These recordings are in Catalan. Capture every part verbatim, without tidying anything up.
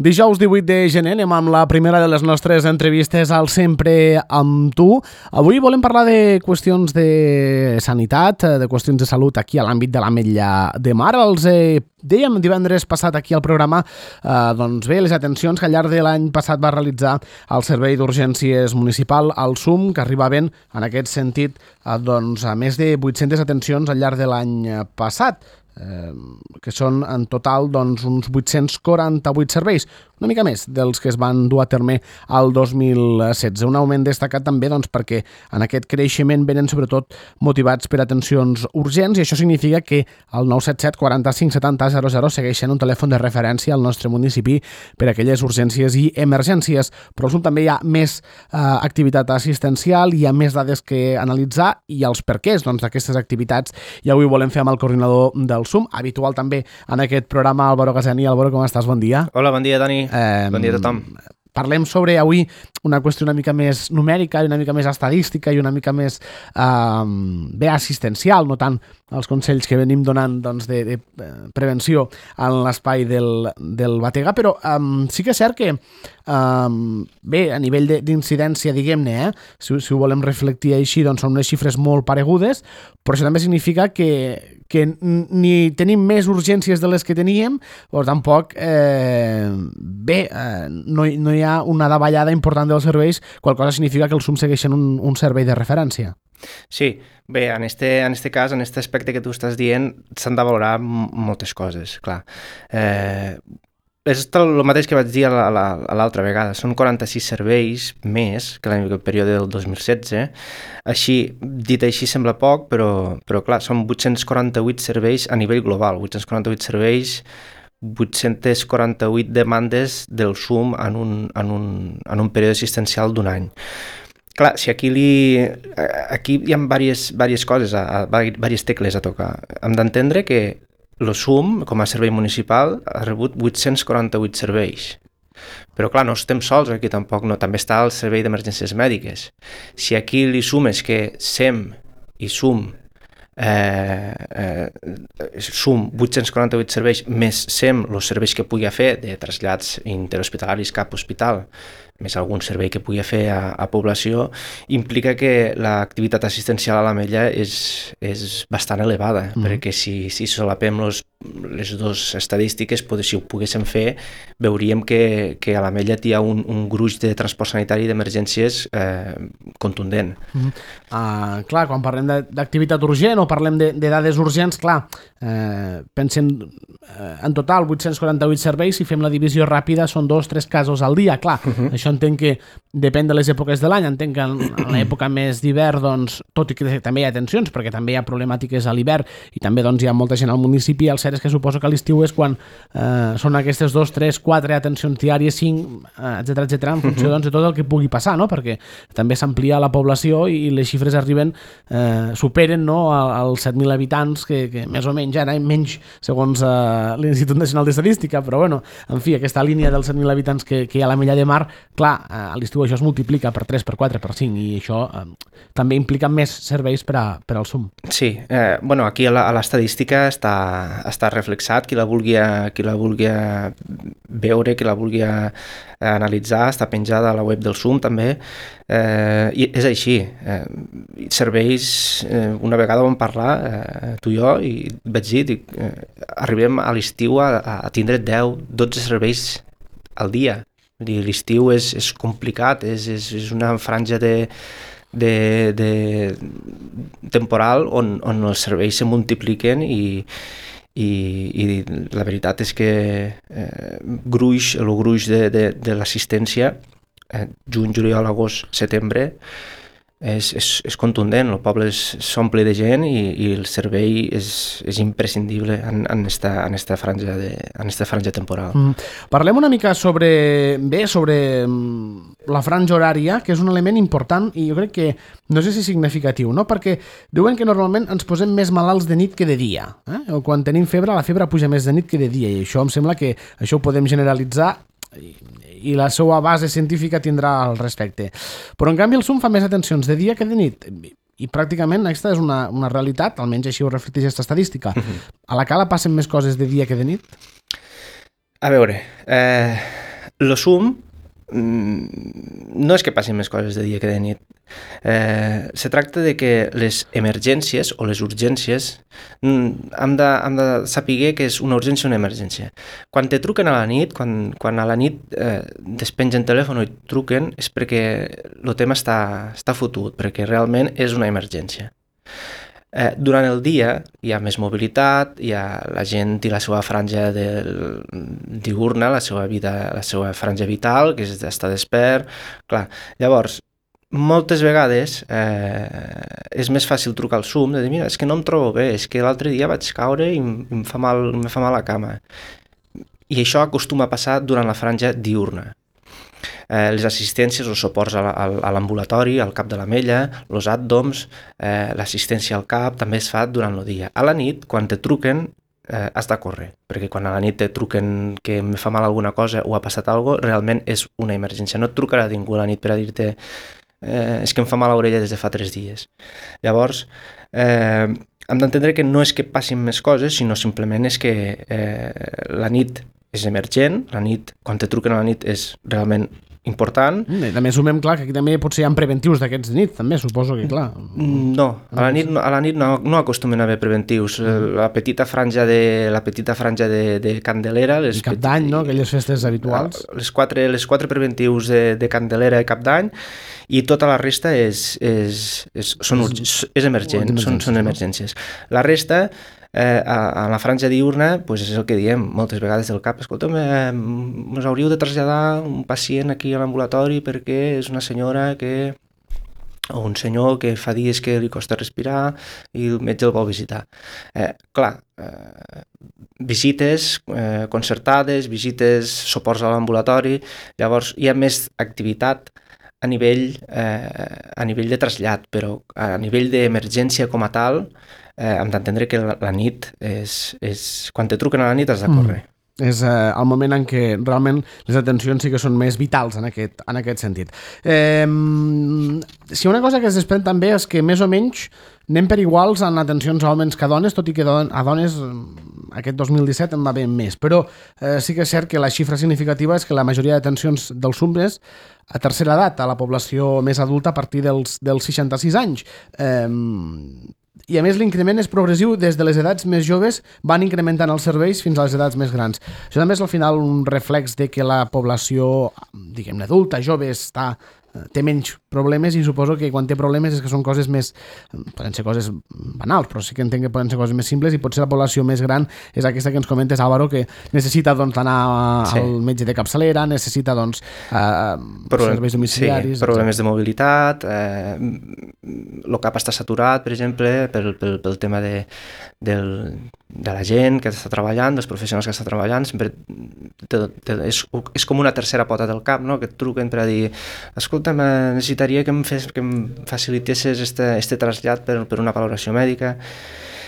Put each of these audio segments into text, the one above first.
Dijous divuit de gener anem amb la primera de les nostres entrevistes al Sempre amb tu. Avui volem parlar de qüestions de sanitat, de qüestions de salut aquí a l'àmbit de l'Ametlla de Mar. Els eh, dèiem divendres passat aquí al programa eh, doncs bé, les atencions que al llarg de l'any passat va realitzar el Servei d'Urgències Municipal, el S U M, que arribaven en aquest sentit a, doncs, a més de vuit-centes atencions al llarg de l'any passat. Eh, que són en total doncs, uns vuit-cents quaranta-vuit serveis, una mica més dels que es van dur a terme al dos mil setze. Un augment destacat també doncs, perquè en aquest creixement venen sobretot motivats per atencions urgents, i això significa que el nou set set quaranta-cinc setanta zero zero segueix sent un telèfon de referència al nostre municipi per a aquelles urgències i emergències. Però al S U M també hi ha més eh, activitat assistencial, hi ha més dades que analitzar i els perquès doncs, d'aquestes activitats, i avui volem fer amb el coordinador del S U M, habitual també en aquest programa, Álvaro Gazani. Álvaro, com estàs? Bon dia. Hola, bon dia, Dani. Eh, bon dia a tothom. Parlem sobre avui una qüestió una mica més numèrica i una mica més estadística i una mica més eh, bé assistencial, no tant els consells que venim donant doncs, de, de prevenció en l'espai del, del Batega, però eh, sí que és cert que eh, bé, a nivell d'incidència, diguem-ne, eh, si, si ho volem reflectir així, doncs són unes xifres molt paregudes, però això també significa que que ni tenim més urgències de les que teníem, però tampoc eh, bé, eh, no, no hi ha una davallada important dels serveis, qual cosa significa que el S U M segueix sent un, un servei de referència. Sí, bé, en este, en este cas, en este aspecte que tu estàs dient, s'han de valorar moltes coses, clar. Eh, és el mateix que vaig dir a l'altra vegada, són quaranta-sis serveis més que l'any període del dos mil setze. Així, dit així sembla poc, però, però clar, són vuit-cents quaranta-vuit serveis a nivell global, vuit-cents quaranta-vuit serveis, vuit-cents quaranta-vuit demandes del S U M en un, en un, en un període assistencial d'un any. Clar, si aquí, li, aquí hi ha diverses, diverses coses, diverses tecles a tocar. Hem d'entendre que el S U M, com a servei municipal, ha rebut vuit-cents quaranta-vuit serveis. Però clar, no estem sols aquí tampoc, no. També està el servei d'emergències mèdiques. Si aquí li sumes que S E M i S U M, eh, eh, S U M vuit-cents quaranta-vuit serveis, més S E M, els serveis que pugui fer de trasllats interhospitalaris cap hospital, més algun servei que pugui fer a, a població, implica que l'activitat assistencial a l'Ametlla és, és bastant elevada, mm. perquè si, si solapem los, les dues estadístiques, potser, si ho poguéssim fer, veuríem que, que a l'Ametlla hi ha un, un gruix de transport sanitari d'emergències eh, contundent. Mm. Uh, clar, quan parlem d'activitat urgent o parlem de, de dades urgents, clar, eh, pensem eh, en total vuit-cents quaranta-vuit serveis, si fem la divisió ràpida són dos o tres casos al dia, clar, uh-huh. Això entenc que depèn de les èpoques de l'any, entenc que en l'època més d'hivern, doncs, tot i que també hi ha tensions, perquè també hi ha problemàtiques a l'hivern i també doncs, hi ha molta gent al municipi, el cert és que suposo que a l'estiu és quan eh, són aquestes dos, tres, quatre atencions diàries, cinc, etcètera, etcètera, en funció doncs, de tot el que pugui passar, no? Perquè també s'amplia la població i les xifres arriben, eh, superen no, als set mil habitants, que, que més o menys ara menys segons eh, l'Institut Nacional d'Estadística, però bueno, en fi, aquesta línia dels set mil habitants que, que hi ha a l'Ametlla de Mar, clar, a l'estiu això es multiplica per tres, per quatre, per cinc, i això eh, també implica més serveis per, a, per al S U M. Sí, eh, bueno, aquí a l'estadística està, està reflexat, qui la vulgui, qui la vulgui veure, qui la vulgui analitzar, està penjada a la web del S U M també, eh, i és així. Eh, serveis, eh, una vegada vam parlar, eh, tu i jo, i vaig dir, dic, eh, arribem a l'estiu a, a tindre deu, dotze serveis al dia. L'estiu és, és complicat, és, és, és una franja de, de, de temporal on, on els serveis se multipliquen i, i, i la veritat és que eh, gruix, el gruix de, de, de l'assistència, eh, juny, juliol, agost, setembre, és, és, és contundent, el poble s'omple de gent i, i el servei és, és imprescindible en, en, esta, en, esta franja de, en esta franja temporal. Mm. Parlem una mica sobre, bé, sobre la franja horària, que és un element important i jo crec que no sé si significatiu, no? Perquè diuen que normalment ens posem més malalts de nit que de dia. Eh? O quan tenim febre, la febre puja més de nit que de dia, i això em sembla que això ho podem generalitzar i, i la seva base científica tindrà al respecte. Però en canvi el S U M fa més atencions de dia que de nit. I pràcticament aquesta és una, una realitat, almenys així ho reflecteix aquesta estadística. Uh-huh. A la Cala passen més coses de dia que de nit? A veure, eh, lo sum no és que passin més coses de dia que de nit. Eh, se tracta de que les emergències o les urgències hem de, hem de saber que és una urgència o una emergència. Quan te truquen a la nit, quan, quan a la nit eh, despengen telèfon i truquen, és perquè el tema està, està fotut, perquè realment és una emergència. Eh, durant el dia hi ha més mobilitat, hi ha la gent i la seva franja del, diurna, la seva vida, la seva franja vital, que és estar despert. Clar, llavors, moltes vegades eh, és més fàcil trucar al SUM, de dir, mira, és que no em trobo bé, és que l'altre dia vaig caure i em fa mal, em fa mal la cama. I això acostuma a passar durant la franja diurna. Eh, les assistències o suports a l'ambulatori, al cap de l'Ametlla, els àddoms, eh, l'assistència al cap també es fa durant el dia. A la nit, quan te truquen, eh, has de córrer, perquè quan a la nit te truquen que em fa mal alguna cosa o ha passat alguna cosa, realment és una emergència. No et trucarà ningú a la nit per a dir-te eh, és que em fa mal l'orella des de fa tres dies. Llavors, eh, hem d'entendre que no és que passin més coses, sinó simplement és que eh, la nit és emergent, la nit, quan te truquen a la nit és realment important. I també assumem, clar, que aquí també potser hi ha preventius d'aquests de nit, també, suposo que, clar. No, a la nit, a la nit no, no acostumen a haver preventius. La petita franja de, la petita franja de, de Candelera... Les I Cap d'Any, no?, aquelles festes habituals. Les quatre, les quatre preventius de, de Candelera i Cap d'Any, i tota la resta és, és, és, són, és, és emergent, són, són emergències. La resta... Eh, a, a la franja diurna, pues és el que diem moltes vegades del cap, escolta'm, eh, us hauríeu de traslladar un pacient aquí a l'ambulatori perquè és una senyora que o un senyor que fa dies que li costa respirar i el metge el vol visitar. Eh, clar, eh, visites eh, concertades, visites, suports a l'ambulatori, llavors hi ha més activitat a nivell, eh, a nivell de trasllat, però a nivell d'emergència com a tal, eh, hem d'entendre que la, la nit és, és... Quan te truquen a la nit has de córrer. Mm. És eh, el moment en què realment les atencions sí que són més vitals en aquest, en aquest sentit. Eh, si una cosa que es desprèn també és que més o menys anem per iguals en atencions a homes que a dones, tot i que a dones aquest dos mil disset en va bé més, però eh, sí que és cert que la xifra significativa és que la majoria d'atencions dels SUMBs a tercera edat, a la població més adulta a partir dels, dels seixanta-sis anys. Eh, I a més l'increment és progressiu des de les edats més joves, van incrementant els serveis fins a les edats més grans. Això també és al final un reflex de que la població, diguem-ne, adulta, jove, està, té menys problemes, i suposo que quan té problemes és que són coses més, poden ser coses banals, però sí que entenc que poden ser coses més simples, i potser la població més gran és aquesta que ens comentes, Álvaro, que necessita doncs, anar sí. al metge de capçalera, necessita doncs, eh, Problem, serveis domiciliaris... Sí, problemes etcètera. De mobilitat, eh, el cap està saturat, per exemple, pel, pel, pel tema de, del, de la gent que està treballant, dels professionals que està treballant, sempre te, te, és, és com una tercera pota del cap, no?, que et truquen per a dir, escolta, necessitaria que em, fes, que em facilitessis este, este trasllat per, per una valoració mèdica.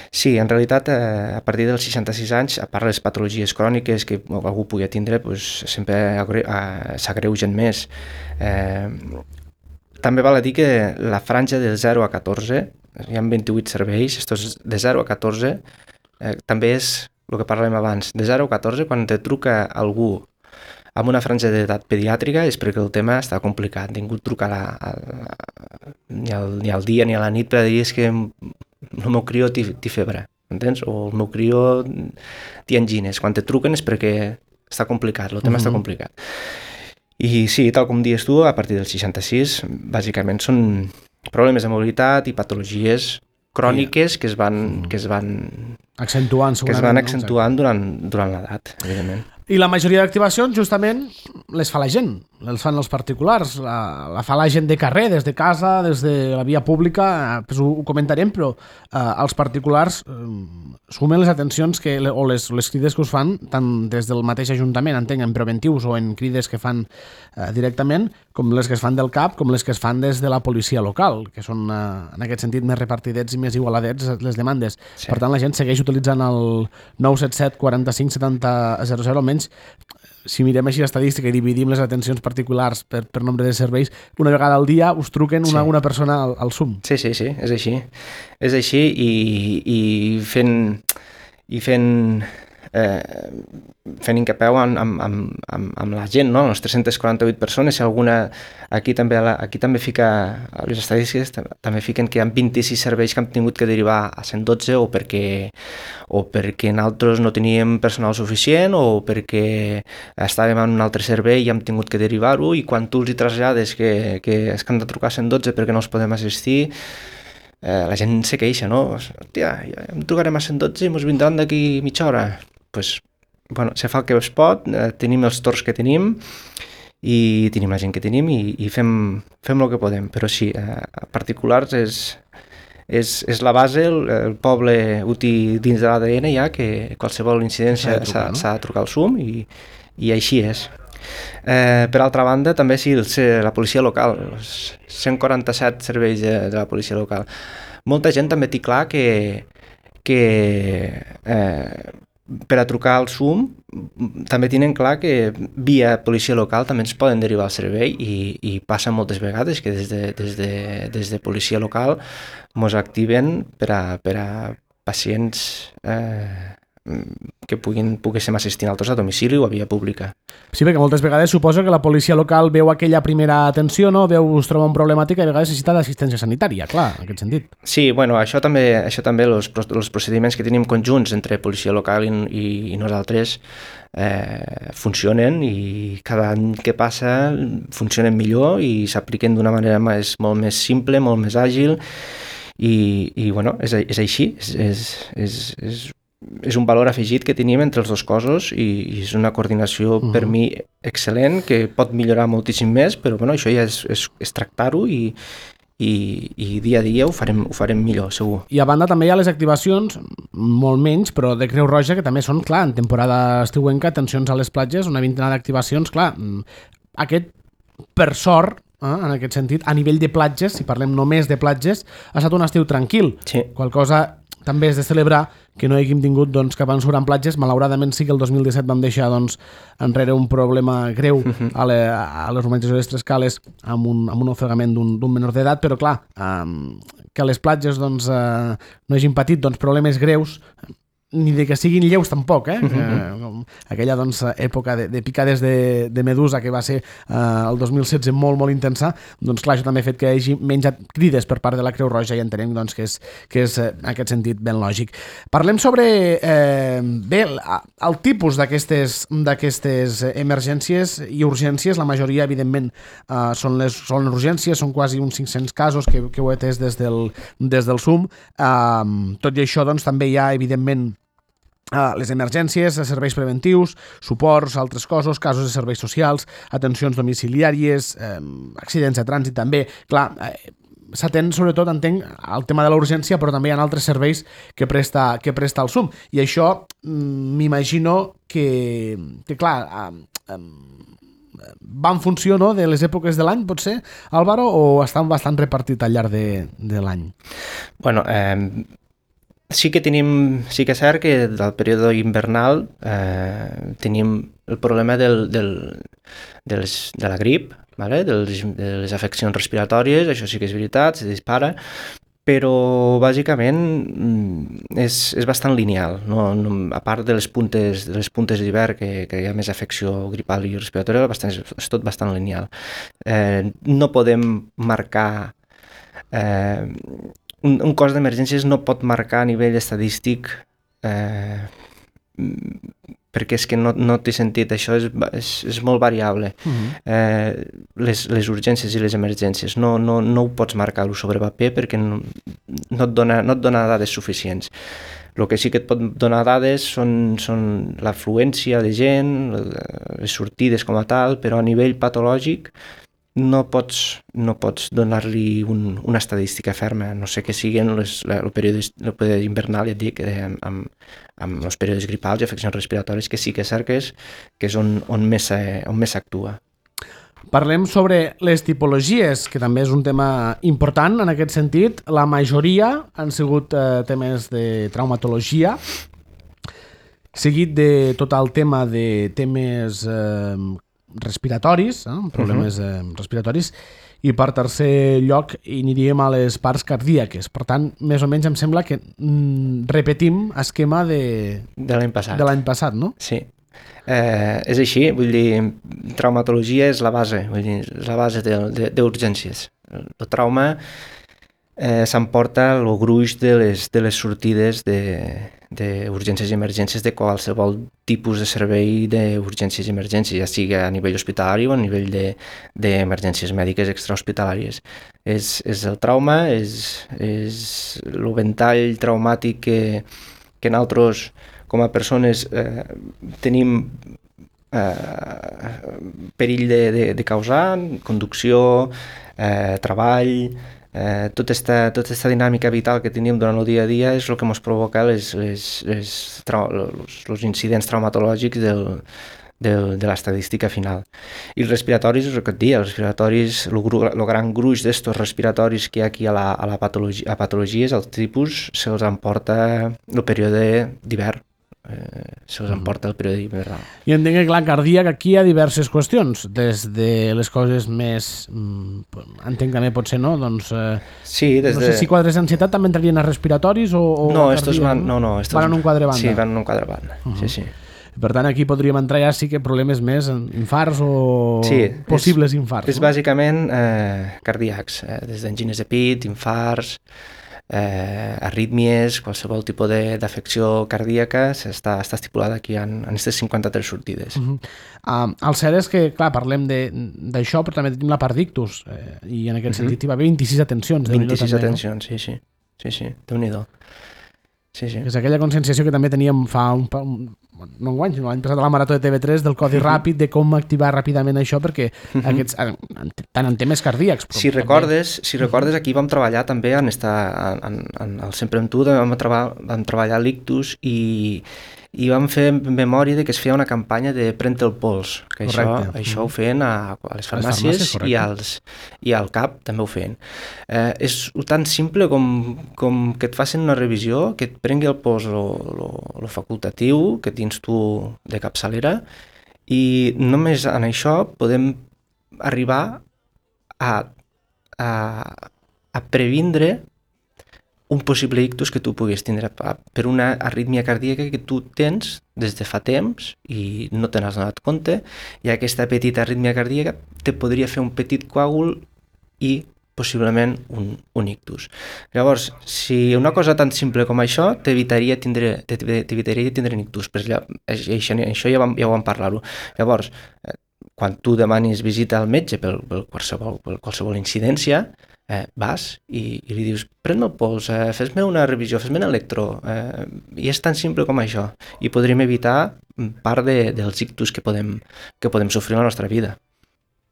Sí, en realitat, eh, a partir dels seixanta-sis anys, a part de les patologies cròniques que algú pugui tindre, pues, sempre s'agreugen més. Eh, també val a dir que la franja del zero a catorze, hi ha vint-i-vuit serveis, estos de zero a catorze, eh, també és el que parlàvem abans. De zero a catorze, quan te truca algú amb una franja d'edat pediàtrica, és perquè el tema està complicat. Ningú truca a, a, a, ni, al, ni al dia ni a la nit per dir és que el meu crió té febre, entens? O el meu crió té angines. Quan te truquen és perquè està complicat, el tema uh-huh. està complicat. I sí, tal com dius tu, a partir del seixanta-sis, bàsicament són problemes de mobilitat i patologies cròniques que es van, que es van accentuant, que es van accentuant durant, durant l'edat, evidentment. I la majoria d'activacions, justament, les fa la gent, les fan els particulars, la, la fa la gent de carrer, des de casa, des de la via pública, pues ho, ho comentarem, però eh, els particulars eh, sumen les atencions que, o les, les crides que us fan, tant des del mateix Ajuntament, entenc, en preventius o en crides que fan eh, directament, com les que es fan del C A P, com les que es fan des de la policia local, que són, eh, en aquest sentit, més repartidets i més igualadets les demandes. Sí. Per tant, la gent segueix utilitzant el nou set set quaranta-cinc setanta zero zero, almenys si mirem així l'estadística i dividim les atencions particulars per, per nombre de serveis, una vegada al dia us truquen una, sí. una persona al, al SUM. Sí, sí, sí, és així. És així i, i fent, i fent eh, fent incapeu amb, amb, amb, amb, amb la gent, no? Les tres-centes quaranta-vuit persones, si alguna... Aquí també, aquí també fica, les estadístiques també fiquen que hi ha vint-i-sis serveis que han tingut que derivar a cent dotze o perquè, o perquè nosaltres no teníem personal suficient o perquè estàvem en un altre servei i hem tingut que derivar-ho, i quan tu els hi trasllades que, que és que han de trucar a cent dotze perquè no els podem assistir, eh, la gent se queixa, no? Hòstia, em trucarem a cent dotze i ens vindran d'aquí mitja hora. Pues, bueno, se fa el que es pot, eh, tenim els torns que tenim i tenim la gent que tenim i, i fem, fem el que podem, però sí, eh, a particulars és, és, és la base, el, el poble ho té dins de l'A D N ja, que qualsevol incidència s'ha de, no? de trucar al S U M i, i així és. Eh, per altra banda, també sí, el, la policia local, els cent quaranta-set serveis de, de la policia local. Molta gent també té clar que, que eh, per a trucar al S U M també tenen clar que via policia local també ens poden derivar al servei i, i passa moltes vegades que des de, des de, des de policia local ens activen per a, per a pacients eh, que puguin, poguéssim assistir altres a domicili o a via pública. Sí, perquè moltes vegades suposo que la policia local veu aquella primera atenció, no? Veu, es troba un problemàtic i a vegades necessita d'assistència sanitària, clar, en aquest sentit. Sí, bueno, això també, això també els, els procediments que tenim conjunts entre policia local i, i, i nosaltres eh, funcionen i cada any que passa funcionen millor i s'apliquen d'una manera més, molt més simple, molt més àgil i, i bueno, és, és així, és, és, és, és és un valor afegit que tenim entre els dos cossos i, i és una coordinació uh-huh. per mi excel·lent, que pot millorar moltíssim més, però bueno, això ja és, és, és tractar-ho i, i, i dia a dia ho farem, ho farem millor, segur. I a banda també hi ha les activacions, molt menys, però de Creu Roja, que també són, clar, en temporada estiuenca, atencions a les platges, una vintena d'activacions, clar, aquest, per sort, eh, en aquest sentit, a nivell de platges, si parlem només de platges, ha estat un estiu tranquil, sí. Qual cosa també és de celebrar que no haguem tingut doncs, cap ensurt en platges. Malauradament sí que el dos mil disset vam deixar doncs, enrere un problema greu a, le, a les urbanitzacions de les Tres Cales amb un, amb un ofegament d'un menor d'edat, però clar, um, que les platges doncs, uh, no hagin patit doncs, problemes greus, ni de que siguin lleus tampoc, eh? Uh-huh. Aquella doncs, època de, de picades de, de medusa que va ser eh, el dos mil setze molt, molt intensa, doncs clar, això també ha fet que hagi menjat crides per part de la Creu Roja i entenem doncs, que és, que és en aquest sentit ben lògic. Parlem sobre eh, bé, el, el tipus d'aquestes d'aquestes emergències i urgències. La majoria, evidentment, eh, són, les, són les urgències, són quasi uns cinc-cents casos que, que ho he atès des del, des del S U M. Eh, tot i això, doncs, també hi ha, evidentment, Uh, les emergències, serveis preventius, suports, altres cossos, casos de serveis socials, atencions domiciliàries, eh, accidents de trànsit també. Clar, eh, s'atén sobretot, entenc, al tema de la urgència, però també hi ha altres serveis que presta, que presta el S U M. I això m'imagino que, que clar, eh, eh, va en funció, no?, de les èpoques de l'any, potser, Álvaro, o estan bastant repartit al llarg de, de l'any? Bueno, eh... Sí que tenim, sí que és cert que del període invernal eh, tenim el problema del, del, de, les, de la grip, vale? de, les, de les afeccions respiratòries, això sí que és veritat, se dispara, però bàsicament és, és bastant lineal, no? No, a part de les puntes de les puntes d'hivern que, que hi ha més afecció gripal i respiratòria, bastant, és tot bastant lineal. Eh, no podem marcar... Eh, Un, un cos d'emergències no pot marcar a nivell estadístic eh, perquè és que no, no té sentit, això és, és, és molt variable. Uh-huh. eh, les, les urgències i les emergències no, no, no ho pots marcar-ho sobre paper perquè no, no, et dona, no et dona dades suficients. El que sí que et pot donar dades són, són l'afluència de gent, les sortides com a tal, però a nivell patològic no pots, no pots donar-li un, una estadística ferma, no sé què siguin les, el, període, el període invernal, ja et dic, eh, amb, amb els períodes gripals i afeccions respiratòries, que sí que és cert que és, que és on, on més s'actua. Parlem sobre les tipologies, que també és un tema important en aquest sentit. La majoria han sigut eh, temes de traumatologia, seguit de tot el tema de temes... Eh, respiratoris, eh? problemes eh, respiratoris, i per tercer lloc hi aniríem a les parts cardíaques. Per tant, més o menys em sembla que mm, repetim esquema de, de l'any passat. De l'any passat, no? Sí. Eh, és així, vull dir, traumatologia és la base, vull dir, és la base d'urgències. El trauma eh, s'emporta el gruix de les, de les sortides d'urgències i emergències de qualsevol tipus de servei d'urgències i emergències, ja sigui a nivell hospitalari o a nivell d'emergències de, mèdiques extrahospitalàries. És, és el trauma, és, és el ventall traumàtic que, que nosaltres com a persones eh, tenim eh, perill de, de, de causar, conducció, eh, treball, eh, tota esta, tota esta dinàmica vital que tenim durant el dia a dia és el que ens provoca les, les, les, els, els incidents traumatològics del, del, de l'estadística final. I els respiratoris, és el que et dia, els respiratoris, el gran gruix d'estos respiratoris que hi ha aquí a la, a la patologia, a patologies, els tipus, se'ls emporta el període d'hivern. Eh, se'ls emporta el període hivernal. I entenc que, clar, cardíac, aquí hi ha diverses qüestions, des de les coses més, entenc també pot ser, no? Doncs, eh, sí, des no de... sé si quadres d'ansitat també entrarien a respiratoris o, o no, cardíac, estos van, no, no, estos... van en un quadre banda. Sí, van en un quadre banda, uh -huh. sí, sí. Per tant, aquí podríem entrar ja sí que problemes més, infarts o sí, possibles és, infarts. És no? bàsicament eh, cardíacs, eh, des d'angines de pit, infarts, eh, arrítmies, qualsevol tipus d'afecció cardíaca està, està estipulada aquí en, en aquestes cinquanta-tres sortides. Uh-huh. uh, el cert és que, clar, parlem d'això, però també tenim la part d'ictus, eh, i en aquest uh-huh. sentit hi va haver vint-i-sis atencions. vint-i-sis atencions, no? sí, sí, sí, sí, Déu-n'hi-do. Sí, sí. És aquella conscienciació que també teníem fa un, un no un any, l'any passat a la Marató de T V tres del codi uh-huh. ràpid, de com activar ràpidament això, perquè uh-huh. aquests, tant en temes cardíacs... Si recordes, si recordes, aquí vam treballar també en, esta, en, en el Sempre amb tu, vam, treballar, vam treballar l'ictus i, i vam fer memòria de que es feia una campanya de Pren el pols, que això, això ho feien a, a les farmàcies, les farmàcies i, als, i al C A P també ho feien. Eh, és tan simple com, com que et facin una revisió, que et prengui el pols lo facultatiu que tens tu de capçalera, i només en això podem arribar a, a, a previndre un possible ictus que tu puguis tindre per una arrítmia cardíaca que tu tens des de fa temps i no te n'has donat compte, i aquesta petita arrítmia cardíaca te podria fer un petit coàgul i possiblement un, un ictus. Llavors, si una cosa tan simple com això t'evitaria tindre, t'evitaria tindre un ictus, però ja, això, això ja vam, ja vam parlar-ho. Llavors, quan tu demanis visita al metge per, per, qualsevol, per qualsevol incidència, eh, vas i, i li dius, pren-me el pols, eh, fes-me una revisió, fes-me un electro, eh, i és tan simple com això, i podríem evitar part de, dels ictus que podem, que podem sofrir a la nostra vida.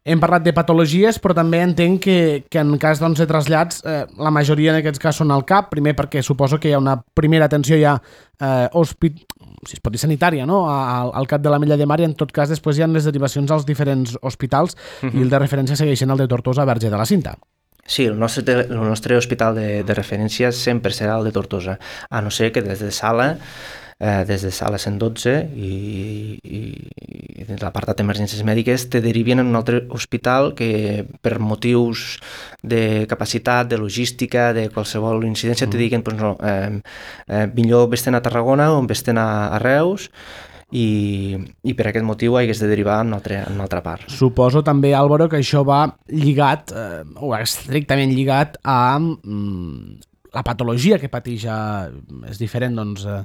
Hem parlat de patologies, però també entenc que, que en cas doncs, de trasllats, eh, la majoria d'aquests casos són al C A P, primer perquè suposo que hi ha una primera atenció ja eh, hospit... si es pot dir sanitària, no? al, al cap de l'Ametlla de Mar, i en tot cas després hi ha les derivacions als diferents hospitals, uh-huh. i el de referència segueixen el de Tortosa, Verge de la Cinta. Sí, el nostre, el nostre hospital de, de referència sempre serà el de Tortosa, a no ser que des de sala, eh, des de sala cent dotze i, i, i de l'apartat d'emergències mèdiques te derivien en un altre hospital que per motius de capacitat, de logística, de qualsevol incidència, mm. te diguen pues no, eh, eh, millor vés-te'n a Tarragona o vés-te'n a, a Reus, i, i per aquest motiu hagués de derivar en una altra, en una altra part. Suposo també, Álvaro, que això va lligat, eh, o estrictament lligat a mm, la patologia que pateix. És diferent, doncs, eh,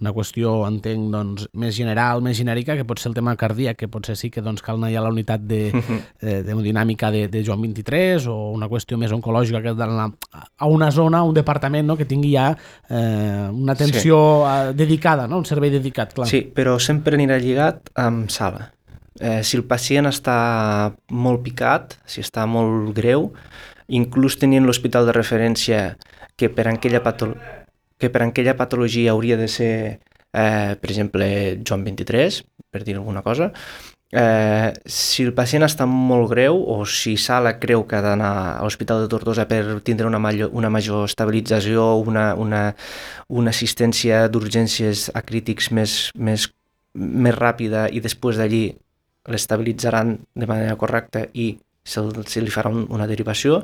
una qüestió, entenc, doncs, més general, més genèrica, que pot ser el tema cardíac, que potser sí que doncs, cal anar ja a la unitat de, de, d'hemodinàmica de, de Joan vint-i-tres, o una qüestió més oncològica que d'anar a una zona, a un departament, no?, que tingui ja eh, una atenció sí. dedicada, no?, un servei dedicat, clar. Sí, però sempre anirà lligat amb sala. Eh, si el pacient està molt picat, si està molt greu, inclús tenint l'hospital de referència que per aquella patologia que per aquella patologia hauria de ser, eh, per exemple, Joan vint-i-tres, per dir alguna cosa, eh, si el pacient està molt greu o si sala creu que ha d'anar a l'Hospital de Tortosa per tindre una major, una major estabilització, una, una, una assistència d'urgències a crítics més, més, més ràpida, i després d'allí l'estabilitzaran de manera correcta i se, se li farà un, una derivació,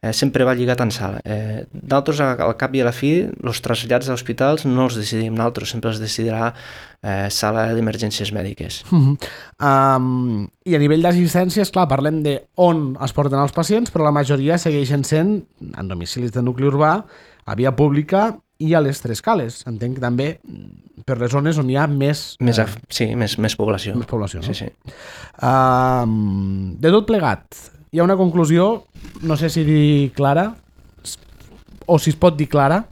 eh, sempre va lligat en sala. Eh, nosaltres, al cap i a la fi, els trasllats als hospitals no els decidim nosaltres, sempre els decidirà eh, sala d'emergències mèdiques. Uh -huh. um, I a nivell d'assistències, clar, parlem de on es porten els pacients, però la majoria segueixen sent en domicilis de nucli urbà, a via pública i a les tres cales. Entenc que també per les zones on hi ha més... més eh, sí, més, més població. Més població, no? Sí, sí. Uh, de tot plegat, hi ha una conclusió, no sé si dir clara, o si es pot dir clara,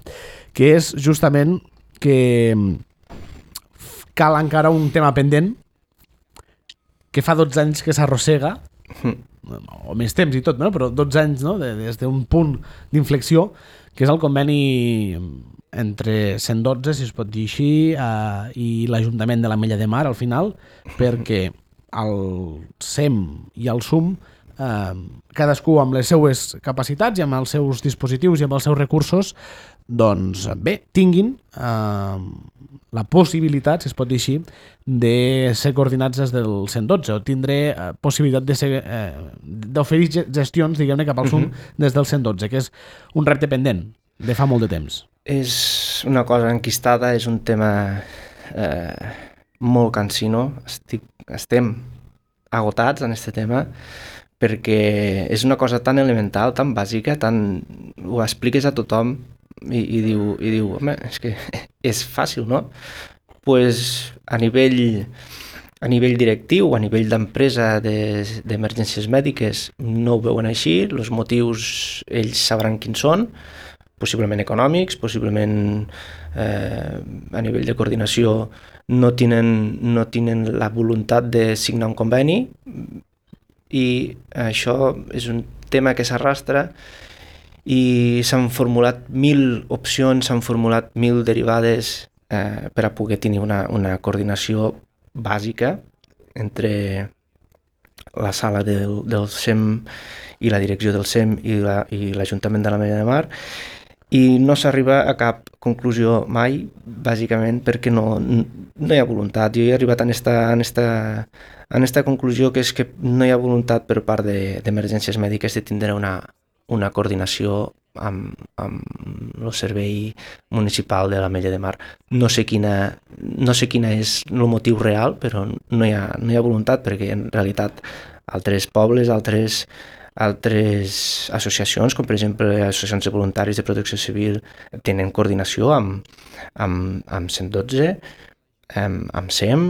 que és justament que cal encara un tema pendent, que fa dotze anys que s'arrossega, mm. o més temps i tot, no? Però dotze anys, no? de, des d'un punt d'inflexió, que és el conveni entre cent dotze, si es pot dir així, eh, i l'Ajuntament de l'Ametlla de Mar, al final, perquè el S E M i el S U M, eh, cadascú amb les seues capacitats i amb els seus dispositius i amb els seus recursos, doncs bé, tinguin eh, la possibilitat, si es pot dir així, de ser coordinats des del cent dotze o tindre eh, possibilitat de ser, eh, d'oferir gestions, diguem-ne, cap al S U M uh-huh. des del cent dotze, que és un repte pendent de fa molt de temps. És una cosa enquistada, és un tema eh, molt cansino. Estic, estem agotats en aquest tema perquè és una cosa tan elemental, tan bàsica, tan... ho expliques a tothom i, i, diu, i diu, home, és que és fàcil, no? Pues a nivell, a nivell directiu, a nivell d'empresa d'emergències mèdiques no ho veuen així, els motius ells sabran quins són, possiblement econòmics, possiblement eh, a nivell de coordinació no tenen, no tenen la voluntat de signar un conveni i això és un tema que s'arrastra i s'han formulat mil opcions, s'han formulat mil derivades eh, per a poder tenir una, una coordinació bàsica entre la sala del, del S E M i la direcció del S E M i la, i l'Ajuntament de l'Ametlla de Mar, i no s'arriba a cap conclusió mai, bàsicament perquè no, no hi ha voluntat. Jo he arribat a esta, en esta, en esta conclusió, que és que no hi ha voluntat per part d'emergències mèdiques de tindre una, una coordinació amb, amb el servei municipal de l'Ametlla de Mar. No sé quina, no sé quina és el motiu real, però no hi ha, no hi ha voluntat, perquè en realitat altres pobles, altres altres associacions, com per exemple associacions de voluntaris de protecció civil, tenen coordinació amb, amb, amb cent dotze, amb, amb S E M,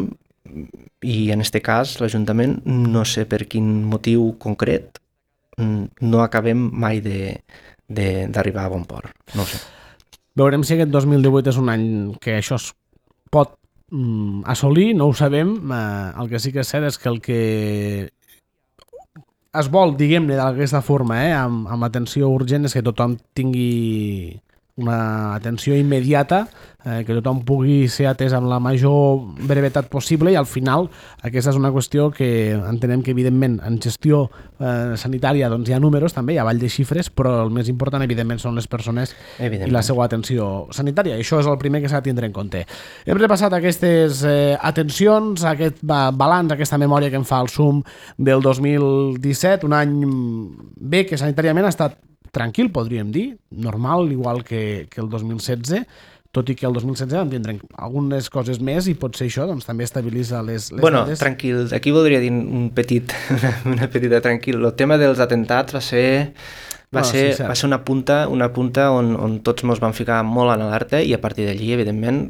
i en aquest cas l'Ajuntament, no sé per quin motiu concret, no acabem mai d'arribar a bon port. No ho sé. Veurem si aquest dos mil divuit és un any que això es pot mm, assolir, no ho sabem. Eh, el que sí que és cert és que el que es vol, diguem-ne, d'aquesta forma, eh, amb, amb atenció urgent, és que tothom tingui una atenció immediata, eh, que tothom pugui ser atès amb la major brevetat possible, i al final aquesta és una qüestió que entenem que evidentment en gestió eh, sanitària doncs hi ha números també, hi ha avall de xifres, però el més important evidentment són les persones i la seva atenció sanitària, i això és el primer que s'ha de tindre en compte. Hem repassat aquestes eh, atencions, aquest balanç, aquesta memòria que em fa el S U M del dos mil disset, un any bé que sanitàriament ha estat tranquil, podríem dir, normal, igual que, que el dos mil setze, tot i que el dos mil setze vam tindre algunes coses més i potser això doncs, també estabilitza les, les bueno, dades. Tranquil, aquí voldria dir un petit, una petita tranquil. El tema dels atentats va ser, va no, ser, sí, va ser una punta, una punta on, on tots ens vam ficar molt en alerta, i a partir d'allí, evidentment,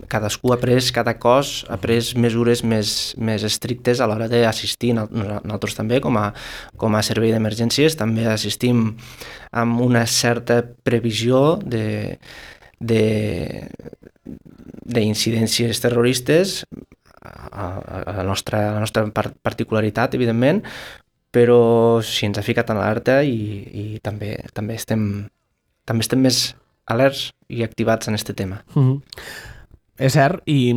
cadascú ha pres, cada cos ha pres mesures més, més estrictes a l'hora d'assistir. Nosaltres també, com a, com a servei d'emergències, també assistim amb una certa previsió de d'incidències terroristes, a, a la nostra, a la nostra particularitat, evidentment, però sí, ens ha ficat en alerta i, i també, també, estem, també estem més alerts i activats en aquest tema. Mm-hmm. És cert, i,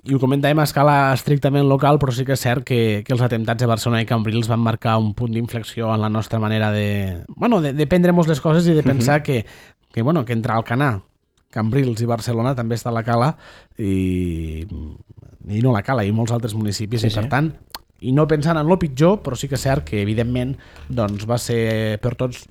i ho comentàvem a escala estrictament local, però sí que és cert que, que els atemptats de Barcelona i Cambrils van marcar un punt d'inflexió en la nostra manera de, bueno, de, de prendre-nos les coses i de pensar mm-hmm. que, que, bueno, que entre Alcanar, Cambrils i Barcelona també està a la cala, i i no la Cala, i molts altres municipis, Sí, i per sí. tant, i no pensant en lo pitjor, però sí que és cert que evidentment doncs, va ser per tots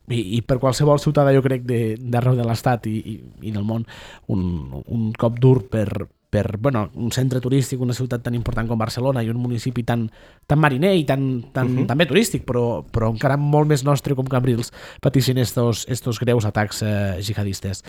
i, i per qualsevol ciutadà, jo crec, de- d'arreu de l'Estat i, i, i del món, un, un cop dur per, per bueno, un centre turístic, una ciutat tan important com Barcelona i un municipi tan, tan mariner i tan, tan, uh -huh. també turístic, però, però encara molt més nostre com Cambrils, pateixen estos, estos greus atacs eh, jihadistes.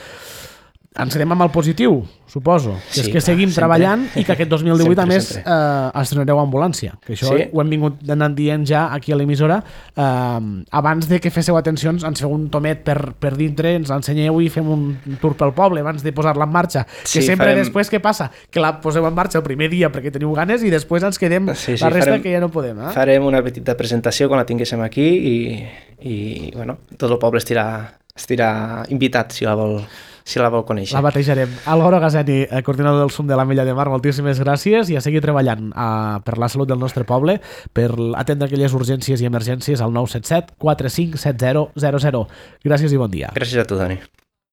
Ens quedem amb el positiu, suposo, que Sí, és que clar, seguim sempre. treballant i que aquest dos mil divuit, Sempre, a més, sempre. eh, estrenareu ambulància, que això Sí. ho hem vingut anant dient ja aquí a l'emissora, eh, abans de que féssiu atencions, ens feu un tomet per, per dintre, ens l'ensenyeu i fem un tour pel poble abans de posar-la en marxa, que Sí, sempre farem- després què passa? Que la poseu en marxa el primer dia perquè teniu ganes i després ens quedem Sí, sí, la resta farem- que ja no podem. Eh? Farem una petita presentació quan la tinguéssim aquí i, i bueno, tot el poble estirà, estirà invitat si la vol, si la vol conèixer. La batejarem. Álvaro Gazzetti, eh, coordinador del S U M de l'Ametlla de Mar, moltíssimes gràcies i a seguir treballant eh, per la salut del nostre poble, per atendre aquelles urgències i emergències al nou set set quatre cinc set zero zero zero. Gràcies i bon dia. Gràcies a tu, Dani.